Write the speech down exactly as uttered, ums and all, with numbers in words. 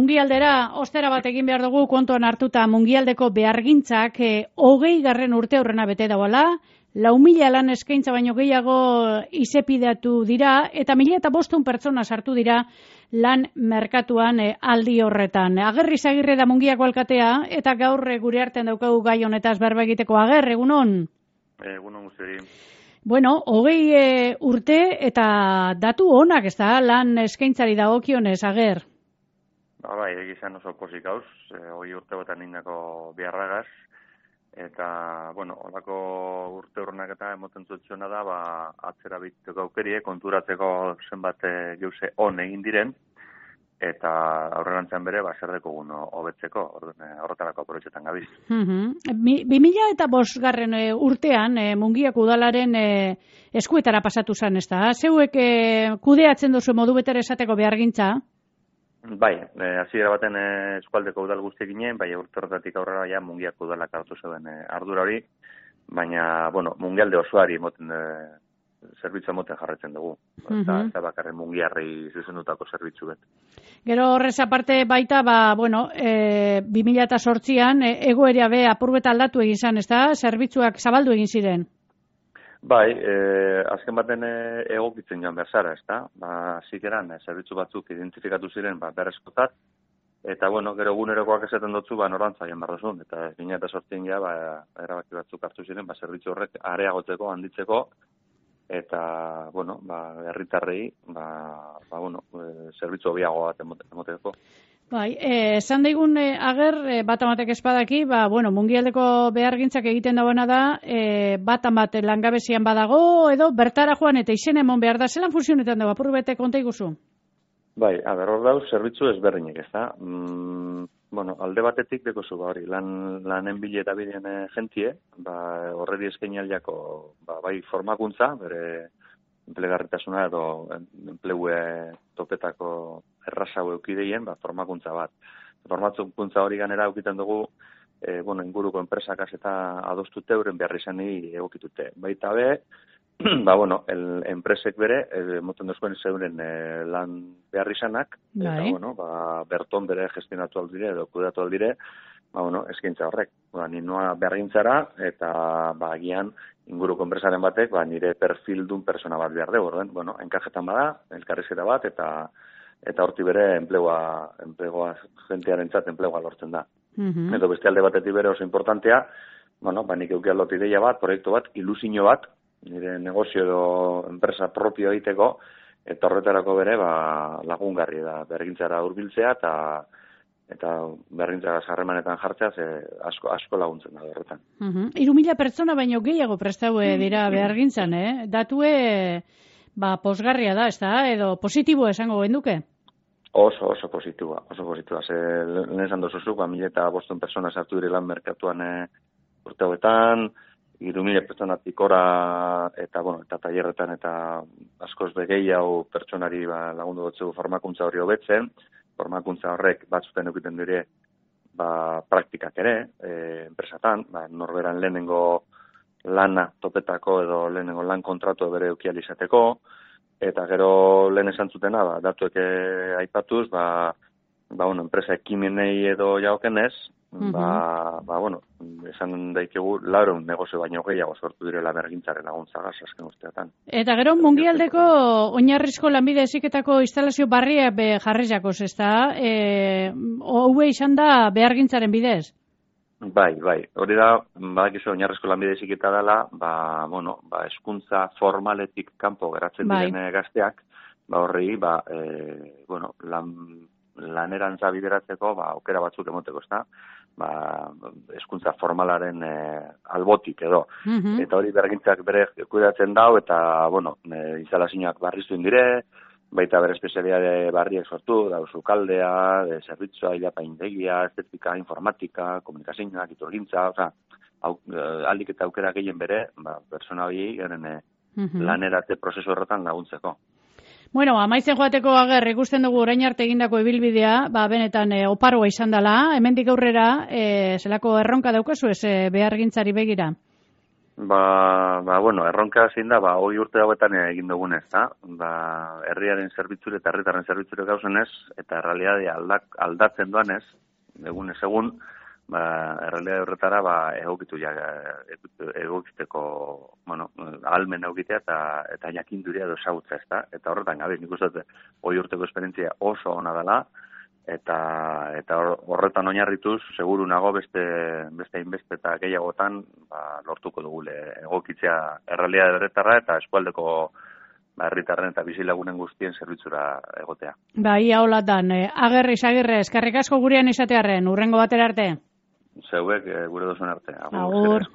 mungialdera, ostera bat egin behar dugu kontuan hartuta mungialdeko behargintzak e, hogei garren urte aurrena bete dauala, lau mila lan eskaintza baino gehiago izepideatu dira, eta mila eta bostun pertsona sartu dira lan merkatuan e, aldi horretan. Agerri Zagirre da Mungiako alkatea, eta gaur e, gure artean daukagu gai honetaz berba egiteko. Ager, egunon? Egunon guztiari. Bueno, hogei e, urte eta datu onak, ez da, lan eskaintzari dagokionez, Ager? Ba, bai, egizan oso pozik gauz, e, hogei urte botan indako biharragaz, eta, bueno, holako urte urrenak eta emoten zuetxona da, ba, atzera biteko aukerie, konturatzeko zenbat geuse on egin diren, eta aurrerantzan bere, ba, zer dekogun hobetzeko, horretarako aprobetxetan gabiz. Bi mila eta bosgarren urtean, e, Mungiako udalaren e, eskuetara pasatu zen, ez da? Zeuek e, kudeatzen duzu modu betere esateko behargintza? Bai, e, hasiera baten e, eskualdeko udal guztiek ginen, bai urte horretatik aurrera ja Mungiako udalak hartu zeuden e, ardura hori, baina, bueno, Mungialde osoari moten e, zerbitzu moten jarretzen dugu. Uh-huh. Eta, eta bakarren Mungiarri zuzendutako zerbitzu bet. Gero horrez aparte baita, ba, bueno, e, bi mila zortzian e, egoera be apurbet aldatu egin zen, ez da? Zerbitzuak zabaldu egin ziren. Bai, e, azken baten e, egokitzen joan berzara, ez da? Ba, zikeran, e, zerbitzu batzuk identifikatu ziren, ba, berrezkotat, eta, bueno, gero egunerokoak esaten dutzu, ba, norantza egin behar duzun, eta bi mila zortzian ja, ba, erabaki batzuk hartu ziren, ba, zerbitzu horrek areagotzeko, handitzeko, eta, bueno, ba, herritarrei, ba, ba, bueno, e, zerbitzu hobiago bat emoteko. Bai, esan eh, daigun eh, Ager, eh, bat amatek espadaki, ba, bueno, mungialdeko behargintzak egiten dagoena da, eh, bat amat langabezian badago, edo bertara joan eta izen emon behar da, zelan funtzionetan dago, apur bete konta iguzu? Bai, a ber, hor dauz, zerbitzu ezberdinek, ez da? Mm, bueno, alde batetik dekozu, ba, hori, lan, lanen bile eta bidean e, jentie, ba, horredi eskaini aldiako, ba, bai, formakuntza, bere enplegarritasuna edo enplegue topetako errazau eukideien, ba, formakuntza bat. Formakuntza hori ganera eukiten dugu, e, bueno, inguruko enpresakaz eta adostute euren behar izani egokitute. Baita be, ba, bueno, el, enpresek bere, e, moten duzuen zeuren e, lan behar izanak, eta, bueno, ba, berton bere gestionatu aldire, edo kudatu aldire, ba, bueno, eskaintza horrek. Ba, ninoa behargintzara, eta, ba, agian, inguruko enpresaren batek, ba, nire perfildun persona bat behar dugu, orden, bueno, enkajetan bada, elkarrizketa bat, eta eta horti bere enplegua, enplegua jentearentzat enplegua lortzen da. Uh-huh. Edo beste alde batetik bere oso importantea, bueno, ba, nik euki aldot ideia bat, proiektu bat, ilusio bat, nire negozio edo enpresa propio egiteko, eta horretarako bere, ba, lagungarri da, bergintzara hurbiltzea, eta eta berrintza harremanetan jartzea ze asko asko laguntzen da horretan. Mhm. hiru mila pertsona baino gehiago prestaue dira behargintzan, eh? Datue ba posgarria da, ezta? Edo positiboa esango genuke. Oso oso positiboa, oso positiboa. Ze lehen esan dozu ba mila eta bostehun pertsona sartu dira lan merkatuan e, urte hauetan, hiru mila pertsonatik gora eta bueno, eta tailerretan eta askoz be gehiago pertsonari ba lagundu dutzu formakuntza hori hobetzen. Formakuntza horrek batzuten egiten dire ba, praktikak ere, e, enpresatan, ba, norberan lehenengo lana topetako edo lehenengo lan kontratu bere eukial izateko, eta gero lehen esan zutena, ba, datuek aipatuz, ba, ba, bueno, enpresa ekimenei edo jaokenez, uh-huh. ba, ba, bueno, esan daikegu laurehun negozio baino gehiago sortu direla bergintzaren laguntzagaz azken urteetan. Eta gero mungialdeko oinarrizko lanbide heziketako instalazio barria be jarriz jakoz, ezta? Eh, houe izan da behargintzaren bidez? Bai, bai. Hori da, badakizu oinarrizko lanbide heziketa dela, ba, bueno, ba, hezkuntza formaletik kanpo geratzen bai. diren gazteak, ba, horri, ba, e, bueno, lan, lanerantza bideratzeko, ba, aukera batzuk emoteko, ezta? Ba, hezkuntza formalaren e, albotik edo. Uh-huh. Eta hori bergintzak bere kudeatzen dau, eta, bueno, e, instalazioak barriztuen dire, baita bere espezialidade barriak sortu, da sukaldea, de zerbitzua, ilapaindegia, estetika, informatika, komunikazioak, iturgintza, oza, aldik eta aukera gehien bere, ba, persona hori garen e, uh-huh. lanerate prozesu horretan laguntzeko. Bueno, amaitzen joateko Ager, ikusten dugu orain arte egindako ibilbidea, ba, benetan e, oparoa izan dela, hemendik aurrera, e, zelako erronka daukazu ez e, behargintzari begira? Ba, ba, bueno, erronka zein da, ba, hoi urte hauetan egin dugunez, da? Ba, herriaren zerbitzure eta herritarren zerbitzure gauzenez, eta realidadea aldak, aldatzen doanez, egunez egun, ba, errealidade horretara, ba, egokitu ja, egokiteko, bueno, almen egokitea eta, eta jakinduria edo esagutza, ez da? Eta horretan, gabe, nik uste, hoi urteko esperientzia oso ona dela, eta eta horretan oinarrituz seguru nago beste beste inbeste eta gehiagotan ba, lortuko dugule egokitzea errealitate horretara eta eskualdeko ba, herritarren eta bizilagunen guztien zerbitzura egotea. Ba, ia holatan, eh, Agerri Sagirre, eskerrik asko gurean izatearren, urrengo batera arte. Zeuek eh, gure duzuen arte. Agur. Agur.